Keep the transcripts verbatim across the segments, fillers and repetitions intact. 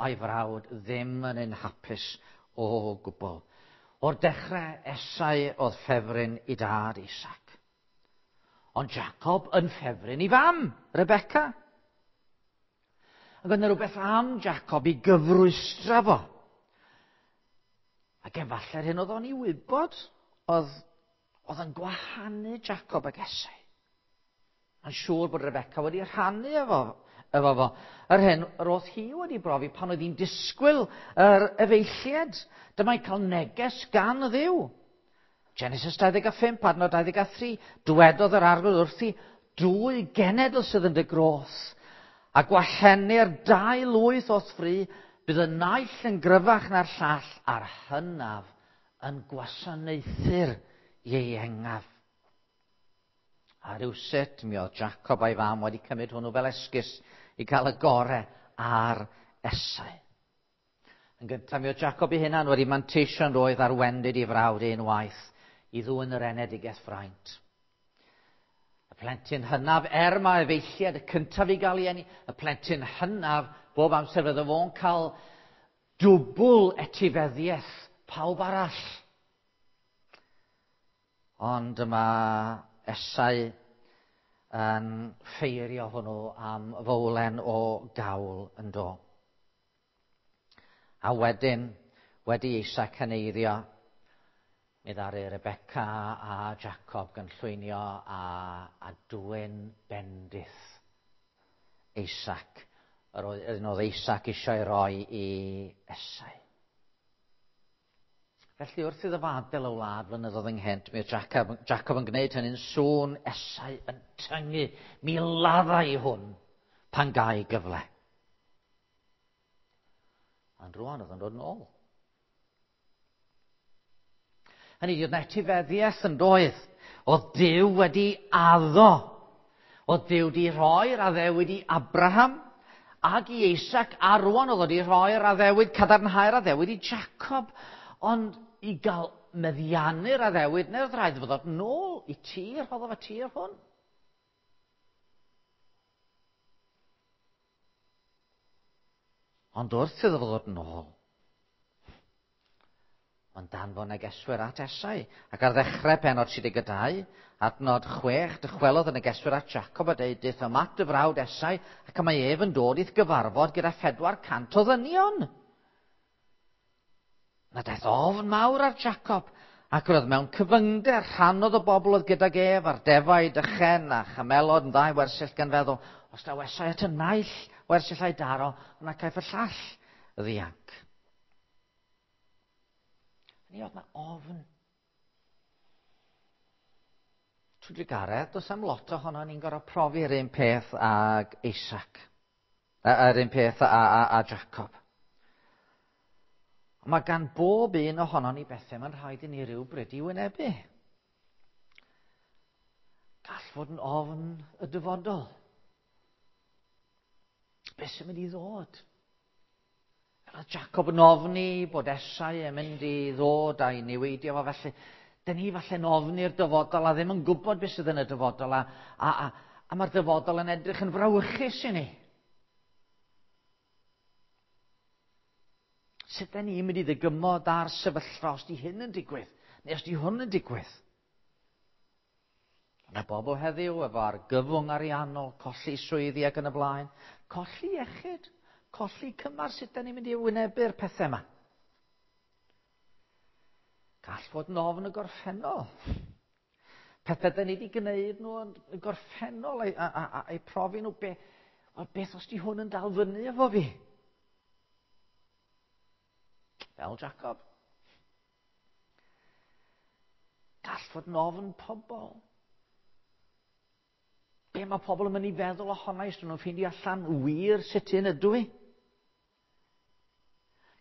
a'i frawd ddim yn un hapus o gwbl. O'r dechrau, Esau oedd ffefryn i dad Isaac. Ond Jacob yn ffefryn i fam, Rebecca. Ac oedd yna rhywbeth am Jacob i gyfrwystra fo. Ac efallai'r hyn oedd o'n i wybod oedd, oedd yn gwahanu Jacob ac Esau. Mae'n siŵr bod Rebecca wedi rhannu efo, efo fo. Yr hyn yr oedd hi wedi brofi pan oedd hi'n disgwyl yr efeilliad. Dyma'i cael neges gan Dduw. Genesis dau ddeg a phump, adnod dau ddeg a thri. Dwedodd yr Arglwydd wrthi, dwy genedl sydd yn dy groth, a gwahenir dau lwyth o'th fri, bydd y naill yn gryfach na'r llall, a'r hynaf yn gwasanaethu'r ieuengaf. A rywsut mi oedd Jacob a'i fam wedi cymryd hwnnw fel esgus i gael y gore ar Esau. Yn gyntaf mi oedd Jacob ei hunan wedi manteisio'n roedd ar wendid i frawd unwaith i ddwyn yr enedigaeth fraint. Y plentyn hynaf, er mae efeilliad y cyntaf i gael ei eni, y plentyn hynaf bob amser fydde fo'n cael dwbl etifeddiaeth pawb arall. Ond yma Esau yn ffeirio hwnnw am fowlen o gawl yn do. A wedyn, wedi Isaac heneiddio, mi ddaru Rebecca a Jacob gynllwynio a, a dwyn bendith Isaac. Yr oedd, oedd Isaac eisiau roi i Esau. Felly wrth iddo fo adael y wlad flynyddoedd ynghynt, mi oedd Jacob, Jacob yn gwneud hynny'n sŵn Esau yn tyngu. Mi ladda i hwn pan gai gyfle. Ond rwan oedd yn dod yn ôl. Hynny yw, oedd etifeddiaeth yn doedd. Oedd Duw wedi addo. Oedd Duw wedi rhoi'r addewid i Abraham ac i Isaac, a rwan oedd wedi rhoi'r addewid, cadarnhau'r addewid i Jacob. Ond i gael meddiannu'r addewid, neu oedd rhaid fod nôl i tir, rhoddodd y tir hwn. Ond wrth iddo fo ddod nôl, mae'n danfon negeswyr at Esau. Ac ar ddechrau pennod tri deg dau, adnod chwech, dychwelodd y negeswyr at Jacob a deud, "Deuthum at dy frawd Esau, ac mae ef yn dod i'th gyfarfod gyda phedwar cant o ddynion." Na daeth ofn mawr ar Jacob, ac roedd mewn cyfyngder rhannodd y bobl oedd gydag ef a'r defaid, y chen a chamelod yn ddau wersyll gan feddwl, os daw Esau at y naill wersyll a'i daro, yna caiff y llall ddianc. Ni oedd na ofn. Trwy drugaredd, does am lot ohono ni'n gorfod profi'r un peth ag Isaac, yr un peth a, a, a Jacob. Ond mae gan bob un ohono ni bethau mae'n rhaid i ni rywbryd i wynebu. Gall fod yn ofn y dyfodol. Beth sy'n mynd i ddod? Roedd Jacob yn ofni bod Esau yn mynd i ddod a'i niweidio fo, felly dyn ni falle'n ofni'r dyfodol a ddim yn gwybod beth sydd yn y dyfodol a, a, a, a mae'r dyfodol yn edrych yn frawychus i ni. Sut dyn ni'n mynd i ddygymod ar sefyllfa os di hyn yn digwydd, neu os di hwn yn digwydd? Yna bobl heddiw efo argyfwng ariannol, colli swyddi ac yn y blaen, colli iechyd, colli cymar, sut dyn ni'n mynd i wynebu'r pethau yma? Gall fod yn ofn y gorffennol. Pethau dyn ni wedi gwneud nhw yn y gorffennol a'i, a, a, a, profi nhw, be, wel, beth os di hwn yn dal fyny efo fi? Fel Jacob. Gall fod yn ofn pobl. Be mae pobl yn mynd i feddwl ohono i, os nhw'n ffeindio allan wir sut un ydw i?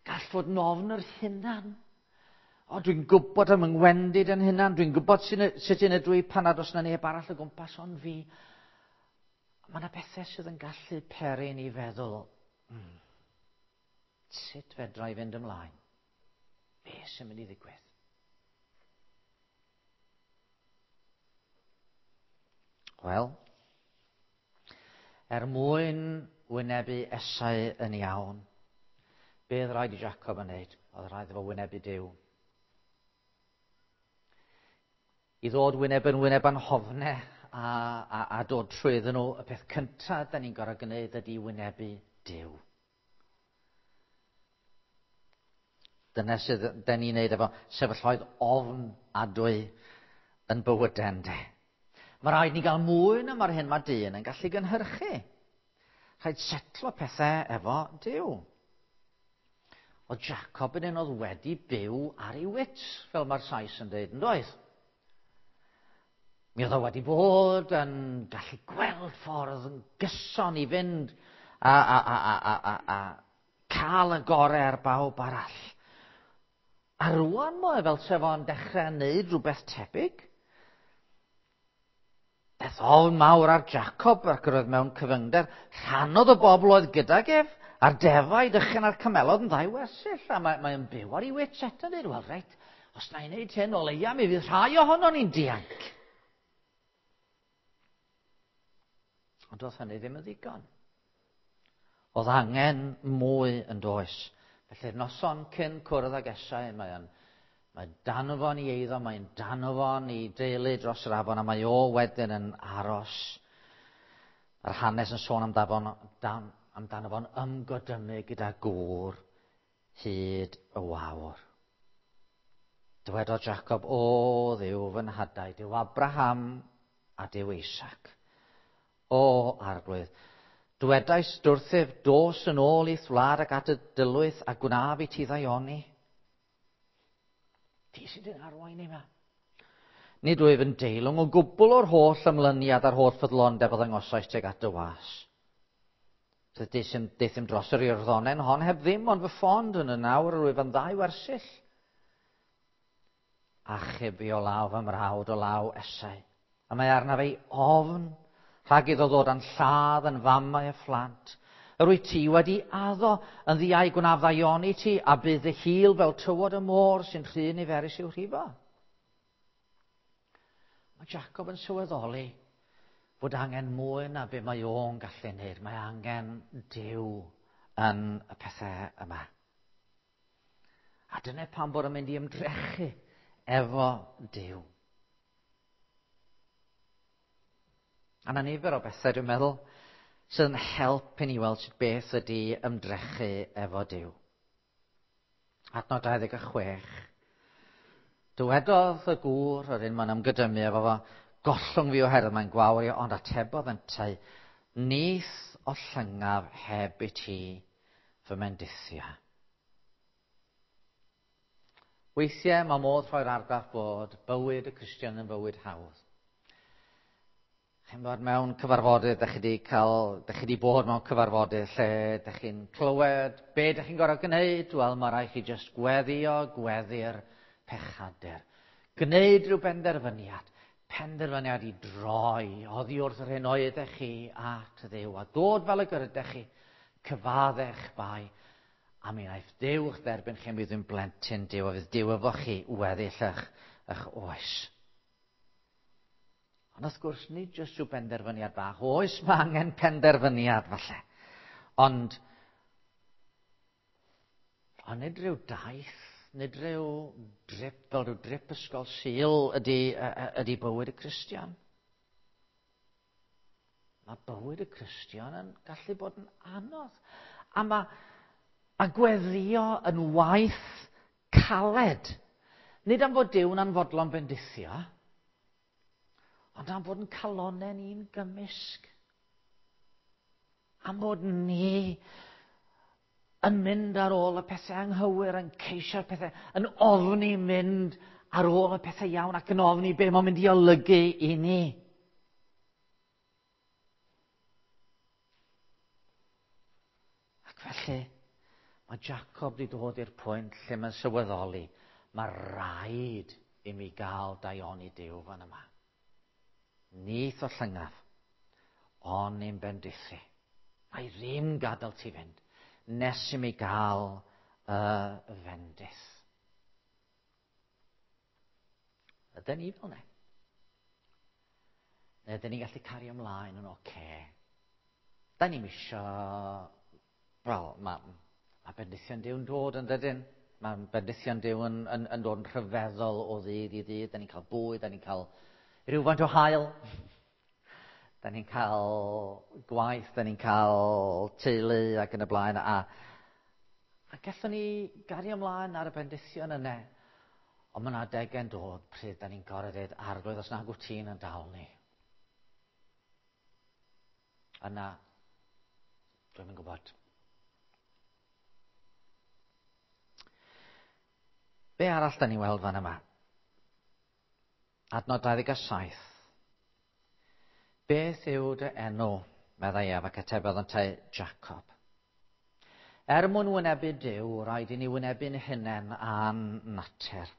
Gall fod yn ofn yr hunan. O, dwi'n gwybod am yngwendid yn hunan, dwi'n gwybod sut un ydw i pan nad oes na neb arall o gwmpas ond fi. Mae yna bethau sydd yn gallu peri ni feddwl, mm, sut fedra i fynd ymlaen? Be sy'n mynd i ddigwydd? Wel, er mwyn wynebu Esau yn iawn, Be oedd rhaid i Jacob yn wneud? Oedd rhaid efo wynebu Duw. I ddod wyneb yn wyneb a'n hofne a, a, a dod trwyddyn nhw, y peth cyntaf da ni'n gorfod gwneud ydy wynebu Duw. Dyna sydd da ni'n neud efo sefyllfaoedd ofn adwy yn bywydau, ynde. Mae rhaid ni gael mwy na mae'r hyn mae dyn yn gallu gynhyrchu. Rhaid setlo pethau efo Duw. Oedd Jacob yn un oedd wedi byw ar ei wits, fel mae'r Sais yn dweud, yn doedd? Mi oedd o wedi bod yn gallu gweld ffordd yn gyson i fynd a, a, a, a, a, a, a cael y gorau ar bawb arall. A rwan mae fel sef o'n dechrau wneud rhywbeth tebyg. Daeth ofn mawr ar Jacob ac yr oedd mewn cyfyngder. Rhannodd y bobl oedd gydag ef a'r defaid ychen a'r camelod yn ddau wersyll. A mae, mae'n byw ar ei wits eto yn dweud, wel reit, os na i wneud hyn o leia, mi fydd rhai ohonon ni'n dianc. Ond oedd hynny ddim yn ddigon. Oedd angen mwy yn does. Felly'r noson cyn cwrdd ag Esau, mae'n mae danfon i eiddo, mae'n danfon i deulu dros yr afon, a mae o wedyn yn aros. Mae'r hanes yn sôn amdano, dan, amdano fo'n ymgodymu gyda gŵr hyd y wawr. Dywedodd Jacob, o Dduw fy nhadau, Duw Abraham a Duw Isaac. O Arglwydd, dwedais wrthyf, dos yn ôl i'th wlad ac at y dylwyth a gwnaf i ti ddaioni. Ti sydd yn arwain i yma. Nid wyf yn deilwng o gwbl o'r holl ymlyniad a'r holl ffyddlondeb o ddangosais tuag at dy was. Deuthum dros yr Iorddonen hon heb ddim ond fy ffond yn y nawr yr wyf yn ddau wersyll. Achub fi o law fy mrawd o law Esau. A mae arnaf ei ofn rhag iddo ddod a'n lladd yn famau y phlant. Yr wyt ti wedi addo yn ddiau gwnaf ddaioni ti, a bydd dy hil fel tywod y môr sy'n rhy niferus i'w rhifo. Mae Jacob yn sylweddoli bod angen mwy na be mae o'n gallu wneud. Mae angen Duw yn y pethau yma. A dyna pam bod yn mynd i ymdrechu efo Duw. A na nifer o bethau, dwi'n meddwl, sydd yn help i ni weld sut beth ydy ymdrechu efo Duw. Adnod dau ddeg a chwech. Dywedodd y gŵr, yr un mae'n ymgydymu efo fo, gollwng fi oherwydd mae'n gwawrio, ond atebodd yntau, nith o llyngaf heb i ti fy mendithio. Weithiau mae modd rhoi'r argraff bod bywyd y Cristion yn fywyd hawdd. Chi'n bod mewn cyfarfodydd, dych chi wedi cael, dych chi wedi bod mewn cyfarfodydd lle dych chi'n clywed be dych chi'n gorfod gwneud. Wel, mae rhaid chi jyst gweddio, gweddi'r pechadur. Gwneud rhyw benderfyniad. Penderfyniad i droi oddi wrth yr hyn oeddech chi at Dduw a dod fel y gyrydech chi, cyfaddech bai, a mi wnaeth Duw eich derbyn chi, mi fydd yn blentyn Duw a fydd Duw efo chi weddill eich, eich oes. Ond wrth gwrs, nid jyst rhyw benderfyniad bach. Oes, mae angen penderfyniad falle. Ond, ond nid rhyw daith, nid rhyw drip, fel rhyw drip ysgol Sul ydy, ydy bywyd y Cristion. Mae bywyd y Cristion yn gallu bod yn anodd. A mae, mae gweddio yn waith caled. Nid am fod Duw'n anfodlon bendithio, ond am fod yn calonnau ni'n gymysg. Am fod ni yn mynd ar ôl y pethau anghywir, yn ceisio'r pethau, yn ofni mynd ar ôl y pethau iawn ac yn ofni be mae'n mynd i olygu i ni. Ac felly, mae Jacob wedi dod i'r pwynt lle mae'n sylweddoli, mae rhaid i mi gael daioni Duw fan yma. Nith o llyngaf, ond ni'n bendithu. Mae ddim gadael ti fynd, nes i mi gael y fendith. Ydyn ni fel ne? Neu ydyn ni'n gallu cario ymlaen yn oce? Okay? Da ni'n isio... Wel, mae ma Mae bendithion Duw'n dod yn dydyn. Mae bendithion Duw yn, yn, yn dod yn rhyfeddol o ddydd i ddydd. Da ni'n cael bwyd, da ni'n cael rhywfaint o haul. Da ni'n cael gwaith, da ni'n cael teulu ac yn y blaen. A, a gallwn ni gario ymlaen ar y bendithion yna. Ond mae yna adegau'n dod pryd da ni'n gorfod dweud, Arglwydd, os nag wyt ti'n yn dal ni. Yna, dwi'm yn gwybod. Be arall da ni'n weld fan yma? Adnod dau ddeg saith. Beth yw dy enw, meddai ef, ac atebodd yntau, Jacob. Er mwyn wynebu Duw, rhaid i ni wynebu'n hunain a'n natur.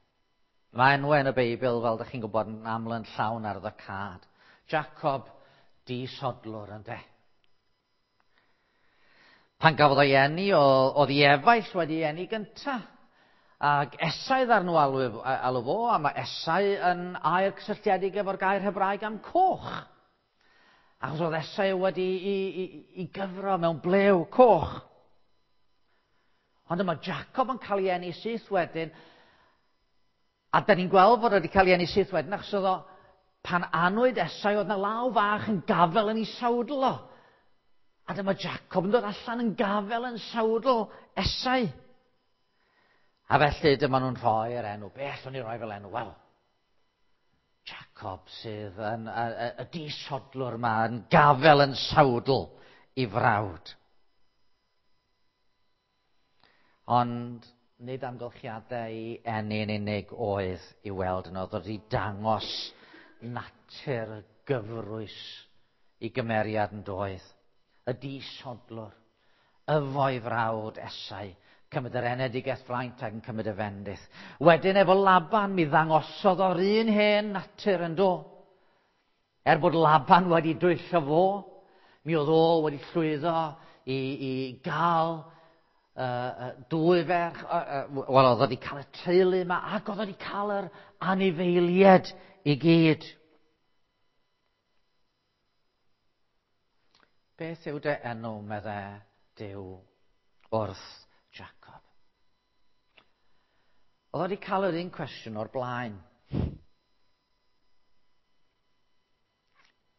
Mae enwau yn y Beibl, fel ydych chi'n gwybod, yn aml yn llawn arwyddocâd. Jacob, disodlwr, ynde. Pan gafodd o'i eni, oedd ei efaill wedi eni gynta. Ac Esau ddaru nhw alw, alw fo, a mae Esau yn air cysylltiedig efo'r gair Hebraeg am coch. Achos oedd Esau wedi i, i, i gyfro mewn blew coch. Ond yma Jacob yn cael ei eni syth wedyn, a da ni'n gweld fod wedi cael ei eni syth wedyn, achos oedd o, pan anwyd Esau, oedd na law fach yn gafel yn ei sawdl o. A dyma Jacob yn dod allan yn gafel yn sawdl Esau. A felly dyma nhw'n rhoi'r enw. Be allwn ni roi fel enw? Wel, Jacob sydd yn y, y, y disodlwr yma yn gafel yn sawdl i frawd. Ond nid amgylchiadau eni yn unig oedd i weld yno, oedd wedi dangos natur gyfrwys i gymeriad yn doedd. Y disodlwr, y fo'i frawd Esau, cymryd yr enedigaeth fraint ac yn cymryd y fendith. Wedyn efo Laban mi ddangosodd o'r un hen natur yn do. Er bod Laban wedi dwyllo fo, mi oedd o wedi llwyddo i, i gael uh, uh, dwy ferch, uh, uh, wel oedd wedi cael y teulu yma ac oedd wedi cael yr anifeiliaid i gyd. Beth yw dy enw, medde Duw wrth Jacob? Oedd wedi cael yr un cwestiwn o'r blaen.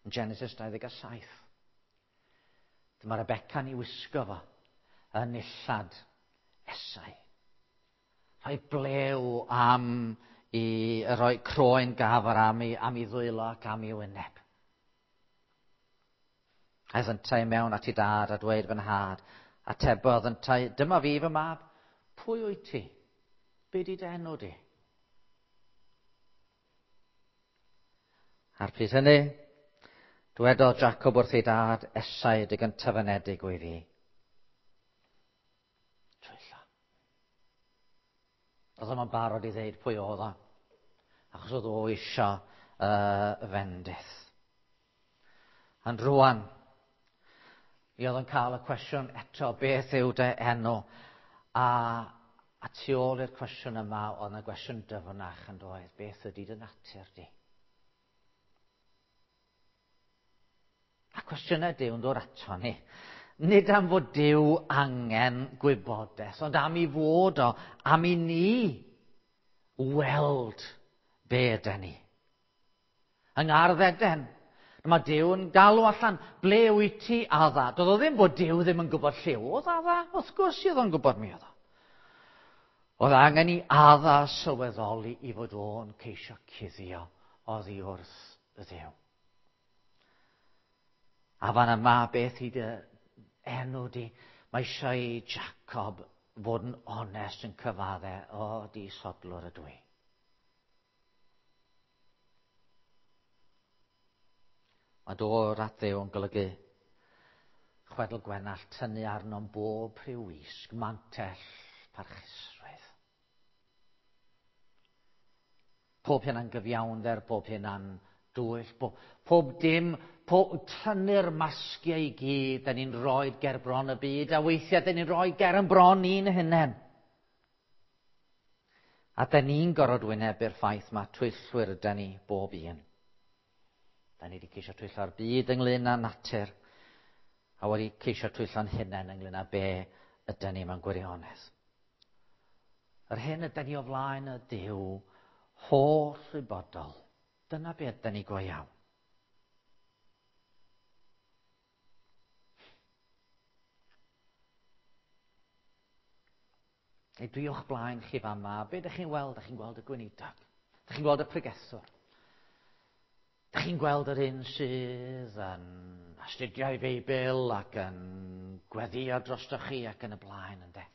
Yn Genesis dau ddeg saith. Dyma Rebecca'n ei wisgo fo yn nillad Esau. Rhoi blew am i roi croen gafr am ei, am ei ddwylo ac am ei wyneb. Aeth yntau mewn at ei dad a dweud, fy nhad. Atebodd yntau, dyma fi fy mab, pwy wyt ti? Be di dy enw di? A'r pryd hynny, dwedodd Jacob wrth ei dad, Esau dy gyntaf-anedig wyf fi. Twyllo. Oedd o'm yn barod i ddeud pwy oedd o, achos oedd o isio uh, fendith. Ond rwan, mi oedd yn cael y cwestiwn eto, beth yw dy enw? A, a tu ôl i'r cwestiwn yma, oedd yna gwestiwn dyfnach yn doedd, beth ydy dy natur di? A cwestiynau Duw yn dod ato ni. Nid am fod Duw angen gwybodaeth, ond am i fod o, am i ni weld be ydy ni. Yng Ngardd Eden, mae Duw yn galw allan, ble wyt ti, Adda? Doedd o ddim bod Duw ddim yn gwybod lle oedd Adda, wrth gwrs oedd o'n gwybod mi oedd o. Oedd angen i Adda sylweddoli i fod o'n ceisio cuddio oddi wrth y Dduw. A fan yma, beth i dy enw di? Mae eisiau i Jacob fod yn onest yn cyfadde, o, disodlwr ydw i. Mae dod at Dduw yn golygu chwedl Gwenallt, tynnu arno'n bob rhyw wisg, mantell, parchusrwydd. Pob hynna'n gyfiawnder, pob hynna'n dwyll, pob, pob dim, pob, tynnu'r masgiau i gyd, da ni'n rhoi ger bron y byd, a weithiau da ni'n rhoi ger yn bron ni'n hunain. A da ni'n gorfod wynebu'r ffaith mae twyllwyr yda ni bob un. Da ni wedi ceisio twyllo'r byd ynglyn â natur, a wedi ceisio twyllo'n hunain ynglyn â be ydyn ni mewn gwirionedd. Yr hyn ydyn ni o flaen y Duw holl wybodol. Dyna be ydyn ni go iawn. Neu dwi o'ch blaen chi fama, be ydych chi'n weld? Ydych chi'n gweld y gweinidog? Ydych chi'n gweld y pregethwr? Ydych chi'n gweld yr un sydd yn astudio ei Feibl ac yn gweddio drostoch chi ac yn y blaen, ynde?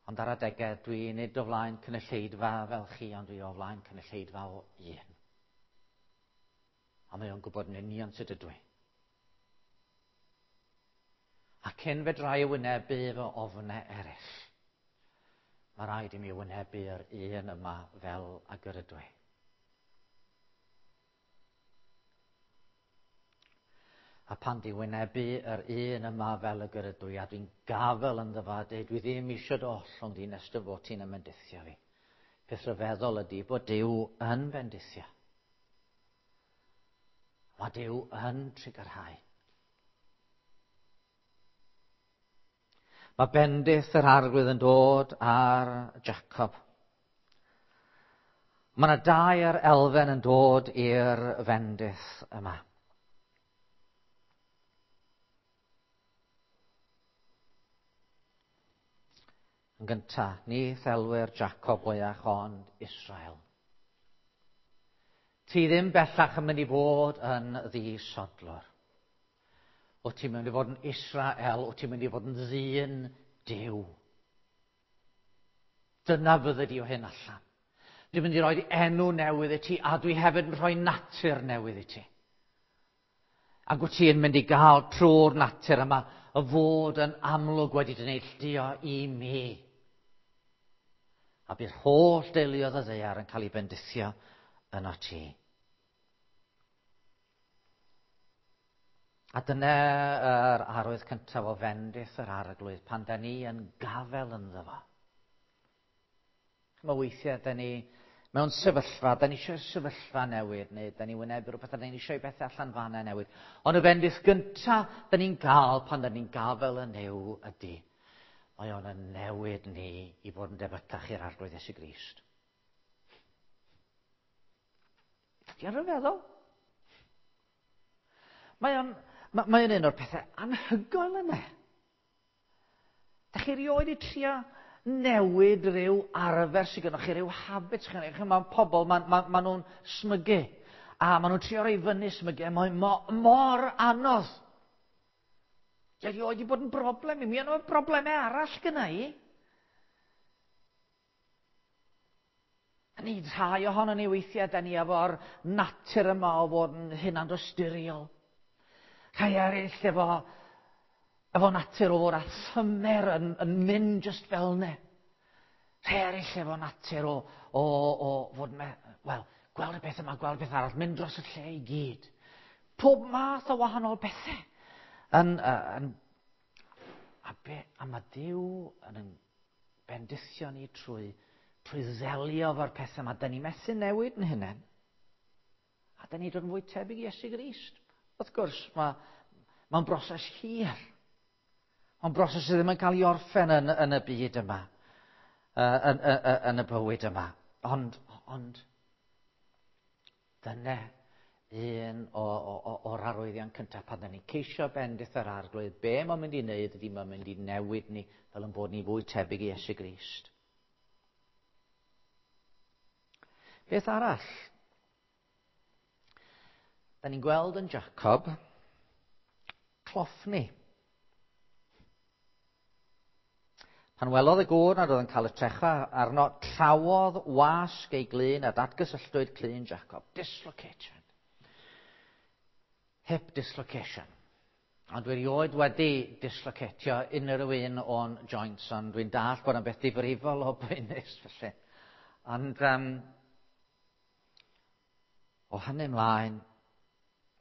Ond ar adegau, dwi nid o flaen cynulleidfa fel chi, ond dwi o flaen cynulleidfa o un. A mae o'n gwybod yn union sut ydw i. A cyn fedra i wynebu fy ofnau eraill, mae rhaid i mi wynebu'r un yma fel ag yr ydw i. A pan di wynebu yr un yma fel y yr ydw i, a dwi'n gafel ynddo fo, a dweud, dwi ddim eisiau dy ollwng di nes dy fod ti'n ymendithio fi. Peth rhyfeddol ydy bod Duw yn bendithio. Mae Duw yn trugarhau. Mae bendith yr Arglwydd yn dod ar Jacob. Mae yna dair elfen yn dod i'r fendith yma. Yn gyntaf, ni thelwyr Jacob mwyach ond Israel. Ti ddim bellach yn mynd i fod yn ddisodlwr. O ti'n mynd i fod yn Israel, o ti'n mynd i fod yn ddyn Duw. Dyna fydde di o hyn allan. Dwi'n mynd i roi enw newydd i ti, a dwi hefyd yn rhoi natur newydd i ti. Ac wyt ti'n mynd i gael trwy'r natur yma y fod yn amlwg wedi dy neilltuo i mi. A bydd holl deuluoedd y ddaear yn cael ei bendithio yno ti. A dyna yr arwydd cyntaf o fendith yr Arglwydd, pan da ni yn gafel ynddo fo. Mae weithiau da ni mewn sefyllfa, da ni eisiau sefyllfa newid, neu da ni wynebu rhywbeth, a da ni eisiau bethau allan fanna newid. Ond y bendith gyntaf da ni'n gael pan da ni'n gafel yn Nuw ydy, mae o'n yn newid ni i fod yn debycach i'r Arglwydd Iesu Grist. Ydy o'n rhyfeddol? Mae o'n, mae o'n un o'r pethau anhygoel yna. Da chi erioed i trio newid rhyw arfer sydd gennych chi, rhyw habit sydd gennych chi. Mae pobl, maen ma, ma nhw'n smygu. A maen nhw'n trio rhoi fyny smygu. A mae'n mo, mor anodd. Di erioed i bod yn broblem i mi, ond mae broblemau arall gyna i. A ni rhai ohono ni weithiau, da ni efo'r natur yma o fod yn hunandosturiol. Rhai eraill efo, efo natur o fod â thymer yn, yn mynd just fel ne. Rhai eraill efo natur o, o, o fod, me, wel, gweld y beth yma, gweld y beth arall, mynd dros y lle i gyd. Pob math o wahanol bethau. Yn, yn, a, be, a mae Duw yn, yn bendithio ni trwy, trwy ddelio efo'r pethau yma. Da ni methu newid yn hynny. A da ni dod yn fwy tebyg i Iesu Grist. Wrth gwrs, mae'n ma broses hir. Mae'n broses sydd ddim yn cael ei orffen yn, yn y byd yma, yn, yn, yn y bywyd yma. Ond, ond dyna un o, o, o'r arwyddion cyntaf pan da ni'n ceisio bendith yr Arglwydd, be mae'n mynd i wneud ydy mae'n mynd i newid ni fel yn bod ni fwy tebyg i Iesu Grist. Beth arall? Da ni'n gweld yn Jacob cloffni. Pan welodd y gŵr nad oedd yn cael y trecha arno, trawodd wasg ei glun a datgysylltwyd clun Jacob. Dislocation. Hip dislocation. Ond dwi erioed wedi dislocatio unrhyw un o'n joints, ond dwi'n dallt bod yn beth difrifol o boenus felly. Ond um, o hynny ymlaen,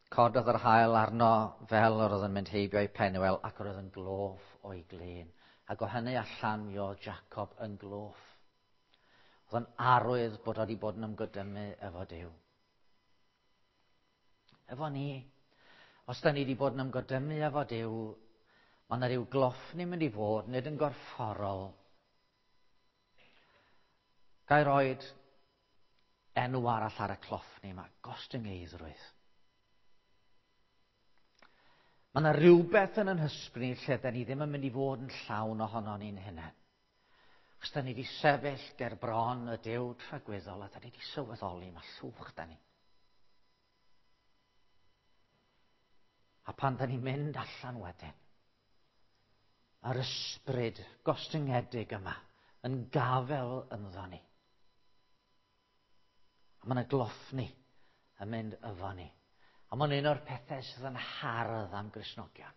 cododd yr haul arno fel yr oedd yn mynd heibio i Penuel ac yr oedd yn gloff o'i glun. Ac o hynny allan mi oedd Jacob yn gloff. Oedd yn arwydd bod wedi bod yn ymgydymu efo Duw. Efo ni, os da ni wedi bod yn ymgydymu efo Duw, Mae yna ryw gloffni mynd i fod, nid yn gorfforol. Ga i roed enw arall ar y cloffni yma, gostyngeiddrwydd. Mae yna rhywbeth yn yn hysbryd ni lle da ni ddim yn mynd i fod yn llawn ohono ni'n hunain. Achos da ni wedi sefyll ger bron y Duw tragwyddol a da ni wedi sylweddoli mae llwch da ni. A pan da ni'n mynd allan wedyn, mae'r ysbryd gostyngedig yma yn gafel ynddo ni. A mae yna gloffni yn mynd efo ni. A mae'n un o'r pethau sydd yn hardd am Gristnogion.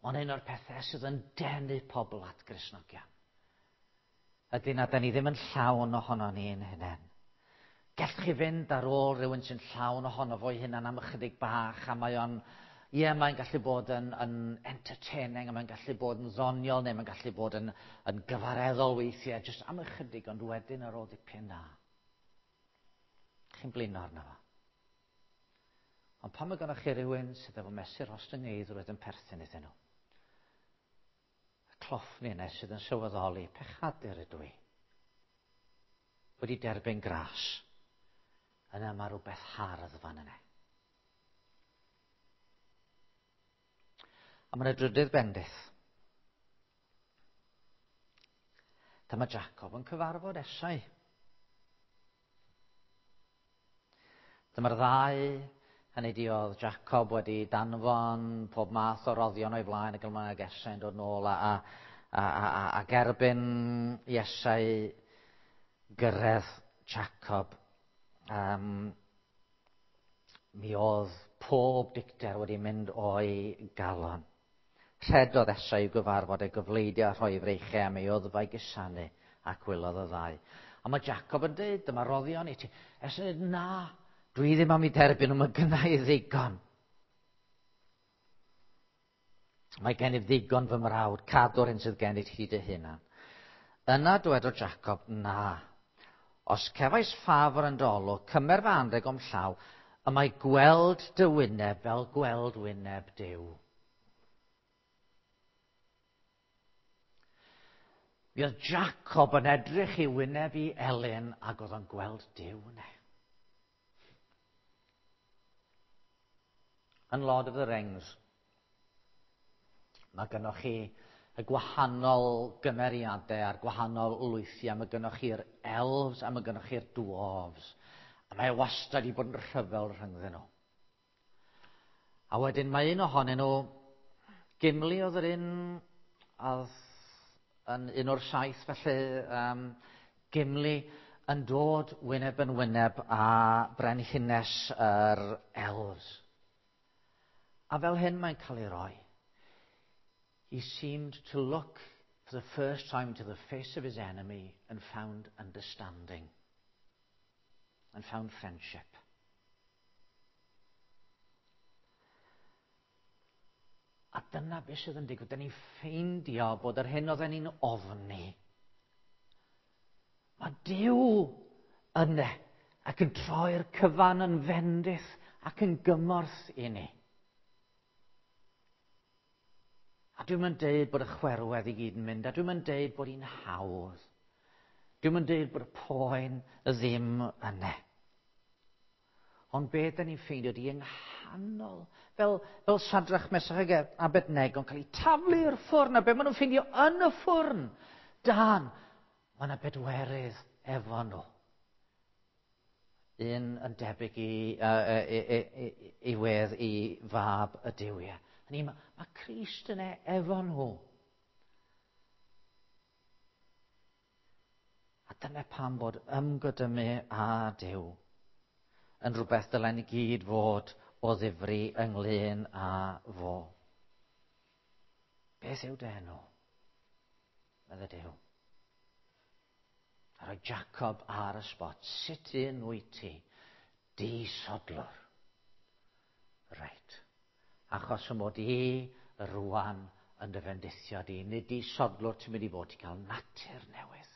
Mae'n un o'r pethau sydd yn denu pobl at Gristnogion. Ydy na, da ni ddim yn llawn ohono ni'n hunain. Gallwch chi fynd ar ôl rhywun sy'n llawn ohono fo'i hunan am ychydig bach, a mae o'n, ie, mae'n gallu bod yn, yn entertaining, a mae'n gallu bod yn ddoniol, neu mae'n gallu bod yn, yn gyfareddol weithiau, jyst am ychydig, ond wedyn ar ôl dipyn na. Chi'n blino arno fo. Ond pan mae gennych chi rhywun sydd efo mesur ostyngeiddrwydd yn perthyn iddyn nhw, y cloffni yna sydd yn sylweddoli, pechadur ydw i, wedi derbyn gras, yna mae rhywbeth hardd fan yna. A mae'n y drydydd bendith. Dyma Jacob yn cyfarfod Esau. Dyma'r ddau. Hynny di oedd Jacob wedi danfon pob math o roddion o'i flaen ac yma ag Esau yn dod nôl a, a, a, a, a gerbyn Esau gyrraedd Jacob. Um, mi oedd pob dicter wedi mynd o'i galon. Rhedodd Esau i'w gyfarfod ei gyfleidio a rhoi freichiau am ei oddfau gusanu ac wylodd y ddau. A mae Jacob yn dweud, dyma roddion i ti. Esau yn dweud, na. Dwi ddim am i derbyn, ond mae gynna i ddigon. Mae gennyf ddigon fy mrawd, cadw'r hyn sydd gennyt ti dy hunan. Yna dywedodd Jacob, na. Os cefais ffafr yn dy olwg, cymer fy anrheg o'm llaw, y mae gweld dy wyneb fel gweld wyneb Duw. Mi oedd Jacob yn edrych i wyneb i Elin ac oedd o'n gweld Duw yna. Yn Lord of the Rings, mae gynnoch chi y gwahanol gymeriadau a'r gwahanol lwythiau. Mae gynnoch chi'r elves a mae gynnoch chi'r dwarves. A mae wastad i bod yn rhyfel rhyngddyn nhw. A wedyn mae un ohonyn nhw, Gimli oedd yr un, oedd yn un o'r saith felly, um, Gimli yn dod wyneb yn wyneb â brenhines yr elves. A fel hyn mae'n cael ei roi. He seemed to look for the first time to the face of his enemy and found understanding. And found friendship. A dyna beth sydd yn digwydd. Da ni'n ffeindio bod yr hyn oedden ni'n ofni. Mae Duw yna ac yn troi'r cyfan yn fendith ac yn gymorth i ni. A dwi'm yn deud bod y chwerwedd i gyd yn mynd, a dwi'm yn deud bod hi'n hawdd. Dwi'm yn deud bod y poen ddim yna. Ond be da ni'n ffeindio di yng nghanol, fel, fel Sadrach, Mesach ac Abednego yn cael eu taflu i'r ffwrn, a be maen nhw'n ffeindio yn y ffwrn, dan, mae yna bedwerydd efo nhw. Un yn debyg i, uh, i, i, i, i wedd i fab y duwiau. Hynny, mae, mae Crist yna efo nhw. A dyna pam bod ymgodymu â Duw yn rhywbeth dylen ni gyd fod o ddifri ynglyn â fo. Beth yw dy enw? Medde Duw. A rhoi Jacob ar y spot. Sut un wyt ti? Disodlwr. Reit. Achos y mod i rwan yn dy fendithio di. Nid disodlwr ti'n mynd i fod, ti'n cael natur newydd.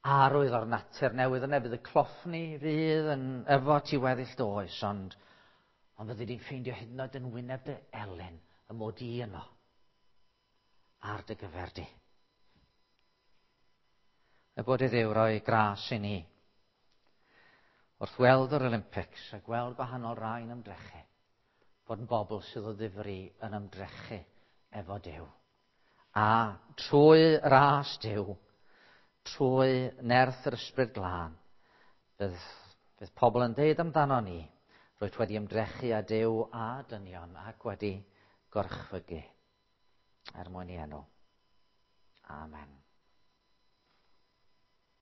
Arwydd o'r natur newydd yna, fydd y cloffni fydd yn efo ti weddill dy oes, ond, Ond fyddi di'n ffeindio hyd yn oed yn wyneb dy elyn y mod i yno ar dy gyfer di. Y bod i Dduw roi gras i ni wrth weld yr Olympics a gweld gwahanol rai'n ymdrechu, bod yn bobl sydd o ddifri yn ymdrechu efo Duw. A trwy ras Duw, trwy nerth yr Ysbryd Glân, bydd, bydd pobl yn deud amdano ni, rwyt wedi ymdrechu â Duw a dynion ac wedi gorchfygu er mwyn ei enw. Amen.